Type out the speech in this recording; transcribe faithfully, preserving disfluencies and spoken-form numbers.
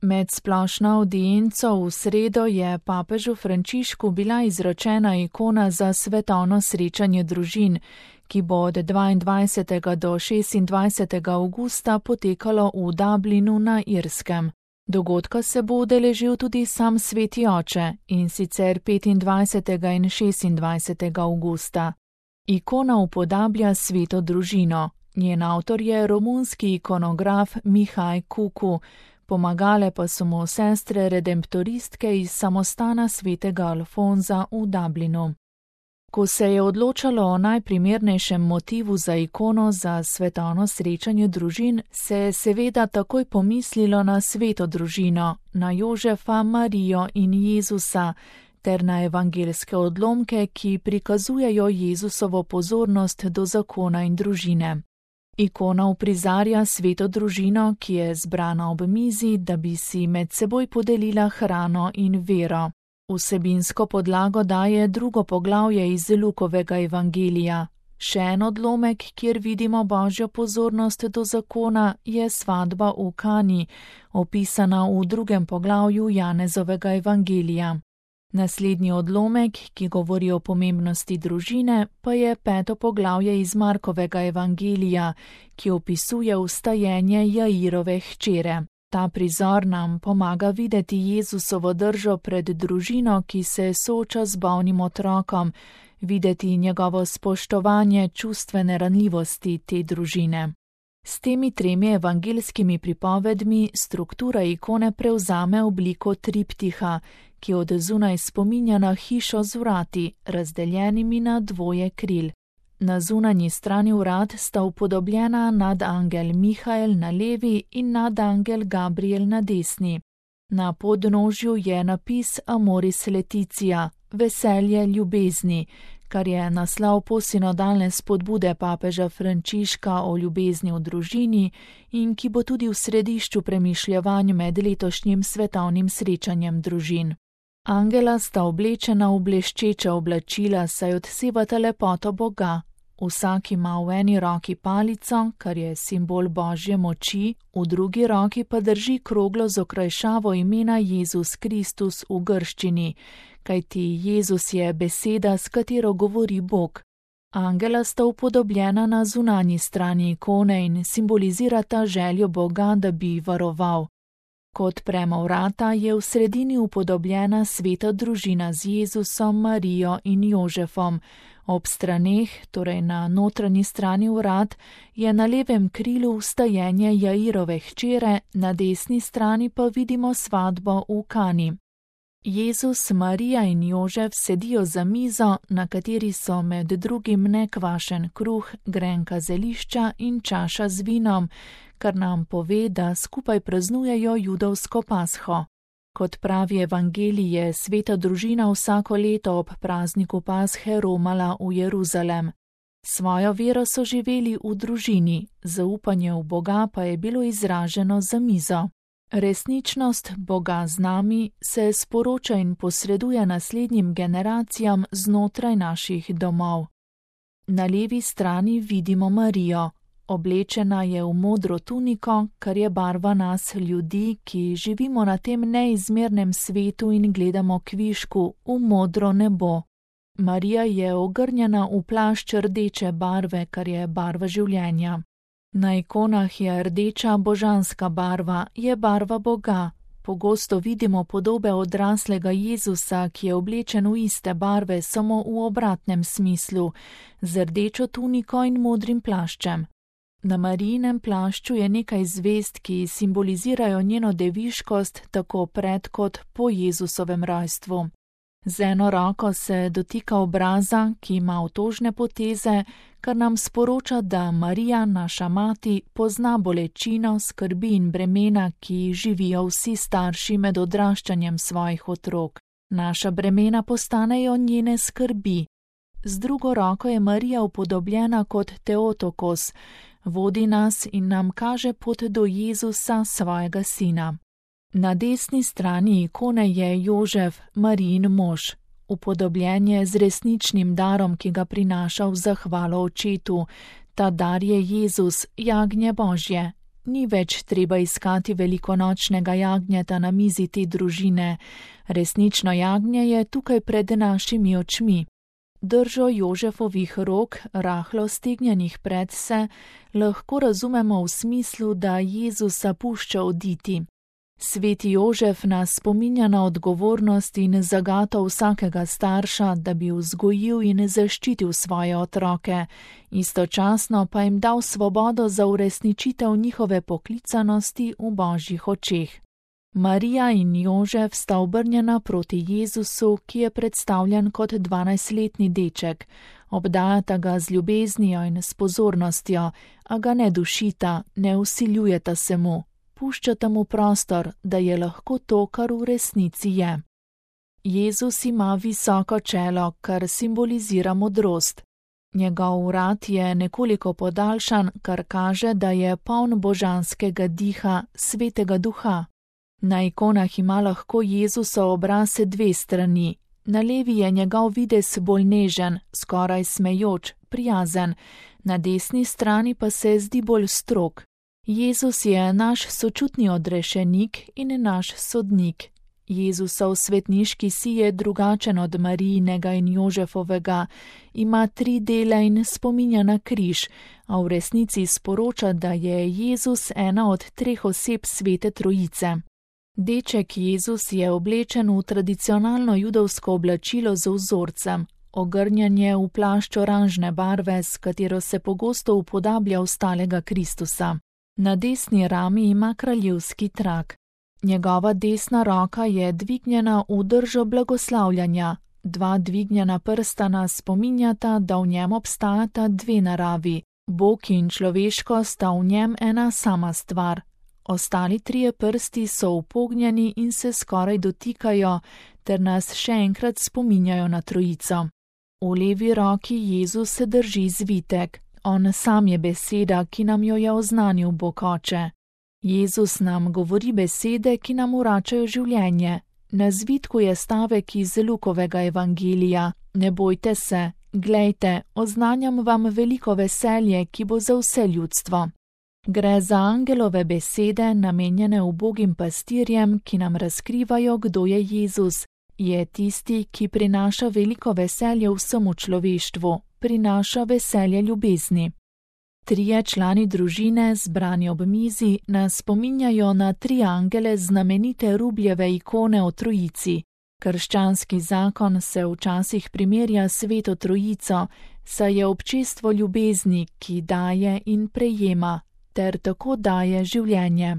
Med splošno avdienco v sredo je papežu Frančišku bila izročena ikona za svetovno srečanje družin, ki bo od dvaindvajsetega do šestindvajsetega avgusta potekalo v Dublinu na Irskem. Dogodka se bo udeležil tudi sam Sveti oče, in sicer petindvajsetega in šestindvajsetega avgusta. Ikona upodablja sveto družino. Njen avtor je romunski ikonograf Mihaj Kuku, pomagale pa so mu sestre redemptoristke iz samostana svetega Alfonza v Dublinu. Ko se je odločalo o najprimernejšem motivu za ikono za svetovno srečanje družin, se je seveda takoj pomislilo na sveto družino, na Jožefa, Marijo in Jezusa, ter na evangeljske odlomke, ki prikazujejo Jezusovo pozornost do zakona in družine. Ikona uprizarja sveto družino, ki je zbrana ob mizi, da bi si med seboj podelila hrano in vero. Vsebinsko podlago daje drugo poglavje iz Lukovega evangelija. Še en odlomek, kjer vidimo Božjo pozornost do zakona, je svadba v Kani, opisana v drugem poglavju Janezovega evangelija. Naslednji odlomek, ki govori o pomembnosti družine, pa je peto poglavje iz Markovega evangelija, ki opisuje vstajenje Jairove hčere. Ta prizor nam pomaga videti Jezusovo držo pred družino, ki se sooča z bolnim otrokom, videti njegovo spoštovanje čustvene ranljivosti te družine. S temi tremi evangeljskimi pripovedmi struktura ikone prevzame obliko triptiha, ki od zunaj spominja na hišo z vrati, razdeljenimi na dvoje kril. Na zunanji strani vrat sta upodobljena nadangel Mihael na levi in nadangel Gabriel na desni. Na podnožju je napis Amoris Laetitia, veselje ljubezni, kar je naslov posinodalne spodbude papeža Frančiška o ljubezni v družini in ki bo tudi v središču premišljevanj med letošnjim svetovnim srečanjem družin. Angela sta oblečena v bleščeča oblačila, saj odsevata lepoto Boga. Vsak ima v eni roki palico, kar je simbol Božje moči, v drugi roki pa drži kroglo z okrajšavo imena Jezus Kristus v grščini, kajti Jezus je beseda, s katero govori Bog. Angela sta upodobljena na zunanji strani ikone in simbolizirata željo Boga, da bi varoval. Ko odpremo vrata, je v sredini upodobljena sveta družina z Jezusom, Marijo in Jožefom. Ob straneh, torej na notranji strani vrat, je na levem krilu vstajenje Jairove hčere, na desni strani pa vidimo svadbo v Kani. Jezus, Marija in Jožef sedijo za mizo, na kateri so med drugim nekvašen kruh, grenka zelišča in čaša z vinom, kar nam pove, da skupaj praznujejo judovsko pasho. Kot pravi evangelij, je sveta družina vsako leto ob prazniku pashe romala v Jeruzalem. Svojo vero so živeli v družini, zaupanje v Boga pa je bilo izraženo za mizo. Resničnost Boga z nami se sporoča in posreduje naslednjim generacijam znotraj naših domov. Na levi strani vidimo Marijo. Oblečena je v modro tuniko, kar je barva nas ljudi, ki živimo na tem neizmernem svetu in gledamo kvišku v modro nebo. Marija je ogrnjena v plašč rdeče barve, kar je barva življenja. Na ikonah je rdeča božanska barva, je barva Boga. Pogosto vidimo podobe odraslega Jezusa, ki je oblečen v iste barve, samo v obratnem smislu, z rdečo tuniko in modrim plaščem. Na Marijinem plašču je nekaj zvezd, ki simbolizirajo njeno deviškost tako pred kot po Jezusovem rojstvu. Z eno roko se dotika obraza, ki ima otožne poteze, kar nam sporoča, da Marija, naša mati, pozna bolečino, skrbi in bremena, ki živijo vsi starši med odraščanjem svojih otrok. Naša bremena postanejo njene skrbi. Z drugo roko je Marija upodobljena kot Teotokos, vodi nas in nam kaže pot do Jezusa, svojega sina. Na desni strani ikone je Jožef, Marijin mož, upodobljen je z resničnim darom, ki ga prinaša v zahvalo očetu. Ta dar je Jezus, jagnje Božje. Ni več treba iskati velikonočnega jagnjeta na mizi te družine. Resnično jagnje je tukaj pred našimi očmi. Držo Jožefovih rok, rahlo stegnjenih predse, lahko razumemo v smislu, da Jezusa pušča oditi. Sveti Jožef nas spominja na odgovornost in zagato vsakega starša, da bi vzgojil in zaščitil svoje otroke, istočasno pa jim dal svobodo za uresničitev njihove poklicanosti v Božjih očeh. Marija in Jožef sta obrnjena proti Jezusu, ki je predstavljen kot dvanajstletni deček. Obdajata ga z ljubeznijo in s pozornostjo, a ga ne dušita, ne vsiljujeta se mu. Puščata mu prostor, da je lahko to, kar v resnici je. Jezus ima visoko čelo, kar simbolizira modrost. Njegov vrat je nekoliko podaljšan, kar kaže, da je poln božanskega diha, svetega duha. Na ikonah ima lahko Jezusov obraz dve strani. Na levi je njegov videz bolj nežen, skoraj smejoč, prijazen, na desni strani pa se zdi bolj strog. Jezus je naš sočutni odrešenik in naš sodnik. Jezusov svetniški si je drugačen od Marijinega in Jožefovega, ima tri dele in spominja na križ, a v resnici sporoča, da je Jezus ena od treh oseb Svete Trojice. Deček Jezus je oblečen v tradicionalno judovsko oblačilo z vzorcem, ogrnjen je v plašč oranžne barve, s katero se pogosto upodablja ostalega Kristusa. Na desni rami ima kraljevski trak. Njegova desna roka je dvignjena v držo blagoslavljanja. Dva dvignjena prstana spominjata, da v njem obstajata dve naravi. Bog in človeško sta v njem ena sama stvar. Ostali trije prsti so upognjeni in se skoraj dotikajo, ter nas še enkrat spominjajo na trojico. V levi roki Jezus se drži zvitek. On sam je beseda, ki nam jo je oznanil Bog Oče. Jezus nam govori besede, ki nam vračajo življenje. Na zvitku je stavek iz Lukovega evangelija: Ne bojte se, glejte, oznanjam vam veliko veselje, ki bo za vse ljudstvo. Gre za angelove besede, namenjene ubogim pastirjem, ki nam razkrivajo, kdo je Jezus. Je tisti, ki prinaša veliko veselje vsemu človeštvu, prinaša veselje ljubezni. Trije člani družine, zbrani ob mizi, nas spominjajo na tri angele znamenite Rubljeve ikone o Trojici. Krščanski zakon se včasih primerja s Sveto Trojico, saj je občestvo ljubezni, ki daje in prejema, ter tako daje življenje.